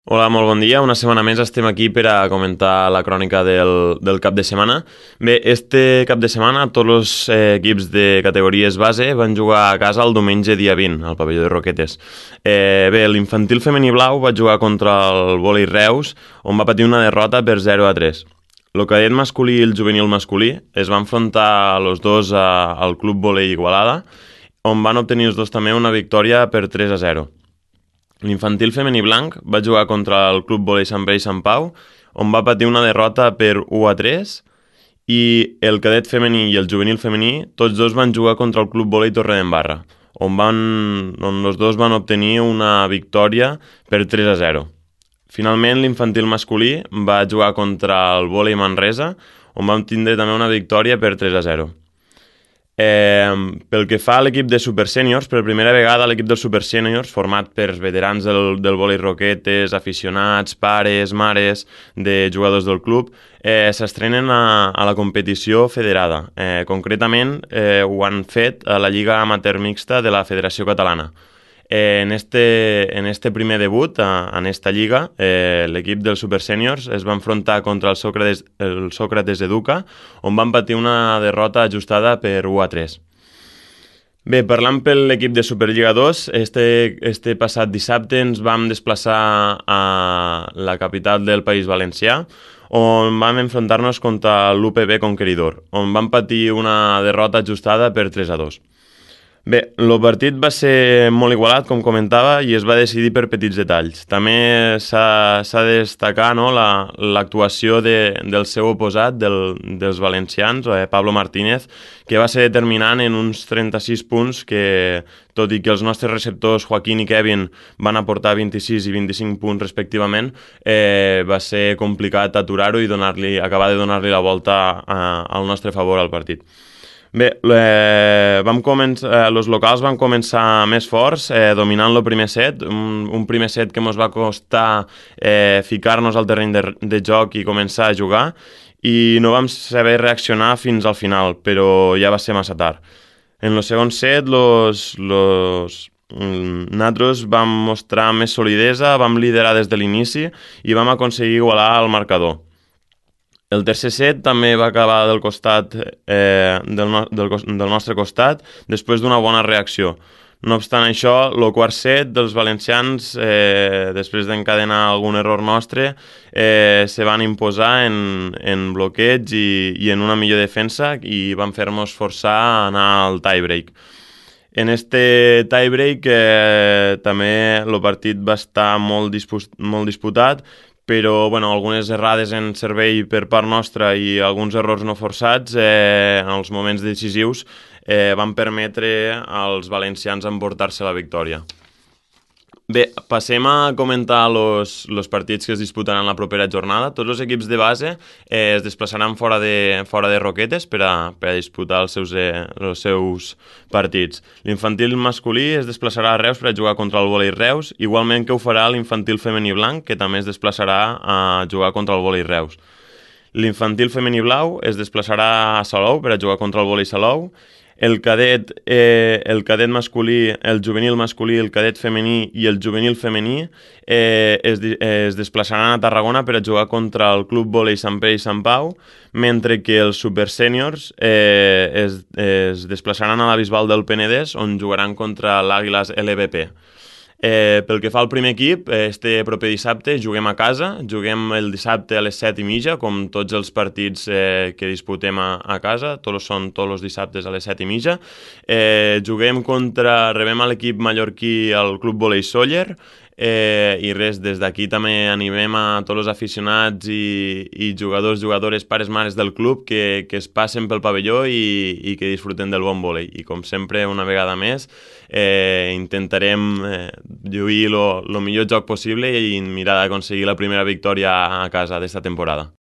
Hola, molt bon dia. Una setmana més estem aquí per a comentar la crònica del cap de setmana. Bé, este cap de setmana tots els equips de categories base van jugar a casa el diumenge dia 20, al pavelló de Roquetes. Bé, l'infantil femení blau va jugar contra el vòlei Reus, on va patir una derrota per 0-3. El cadet masculí i el juvenil masculí es van enfrontar els dos al Club Vòlei Igualada, on van obtenir els dos també una victòria per 3-0. L'infantil femení blanc va jugar contra el Club Vòlei Sant Pere i Sant Pau, on va patir una derrota per 1-3, i el cadet femení i el juvenil femení tots dos van jugar contra el Club Vòlei Torredembarra, on els dos van obtenir una victòria per 3-0. Finalment, l'infantil masculí va jugar contra el Vòlei Manresa, on van tindre també una victòria per 3-0. Pel que fa a l'equip de Super Sèniors, per primera vegada l'equip dels Super Sèniors, format per veterans del vòlei Roquetes, aficionats, pares, mares de jugadors del club, s'estrenen a la competició federada. Concretament, ho han fet a la Lliga Amateur Mixta de la Federació Catalana. En este primer debut, en esta lliga, l'equip dels Super Sèniors es va enfrontar contra el Sócrates Educa, on van patir una derrota ajustada per 1-3. Bé, parlant per l'equip de Superliga 2, este passat dissabte ens vam desplaçar a la capital del País Valencià, on vam enfrontar-nos contra l'UPB Conqueridor, on van patir una derrota ajustada per 3-2. Bé, el partit va ser molt igualat, com comentava, i es va decidir per petits detalls. També s'ha de destacar l'actuació del seu oposat, dels valencians, Pablo Martínez, que va ser determinant en uns 36 punts que, tot i que els nostres receptors Joaquín i Kevin van aportar 26 i 25 punts respectivament, va ser complicat aturar-ho i acabar de donar-li la volta al nostre favor al partit. Bé, els locals van començar més forts, dominant el primer set, un primer set que ens va costar ficar-nos al terreny de joc i començar a jugar, i no vam saber reaccionar fins al final, però ja va ser massa tard. En el segon set, nosaltres vam mostrar més solidesa, vam liderar des de l'inici i vam aconseguir igualar el marcador. El tercer set també va acabar del nostre costat després d'una bona reacció. No obstant això, el quart set dels valencians, després d'encadenar algun error nostre, se van imposar en bloqueig i en una millor defensa, i van fer-nos forçar a anar al tiebreak. En este tiebreak també el partit va estar molt disputat, però algunes errades en servei per part nostra i alguns errors no forçats en els moments decisius van permetre als valencians emportar-se la victòria. Bé, passem a comentar els partits que es disputaran la propera jornada. Tots els equips de base es desplaçaran fora de Roquetes per a disputar els seus partits. L'infantil masculí es desplaçarà a Reus per a jugar contra el vòlei Reus, igualment que ho farà l'infantil femení blanc, que també es desplaçarà a jugar contra el vòlei Reus. L'infantil femení blau es desplaçarà a Salou per a jugar contra el vòlei Salou. El cadet masculí, el juvenil masculí, el cadet femení i el juvenil femení es desplaçaran a Tarragona per a jugar contra el Club Vòlei Sant Pere i Sant Pau, mentre que els Super Sèniors es desplaçaran a la Bisbal del Penedès, on jugaran contra l'Àguiles LVP. Pel que fa al primer equip, este proper dissabte juguem a casa, juguem el dissabte a les 7:30, com tots els partits que disputem a casa, són tots els dissabtes a les 7:30. Rebem a l'equip mallorquí al Club Vòlei Sóller, i res, des d'aquí també animem a tots els aficionats i jugadors, jugadores, pares, mares del club que es passen pel pavelló i que disfruten del bon vòlei. I com sempre, una vegada més, intentarem lluir el millor joc possible i mirar d'aconseguir la primera victòria a casa d'esta temporada.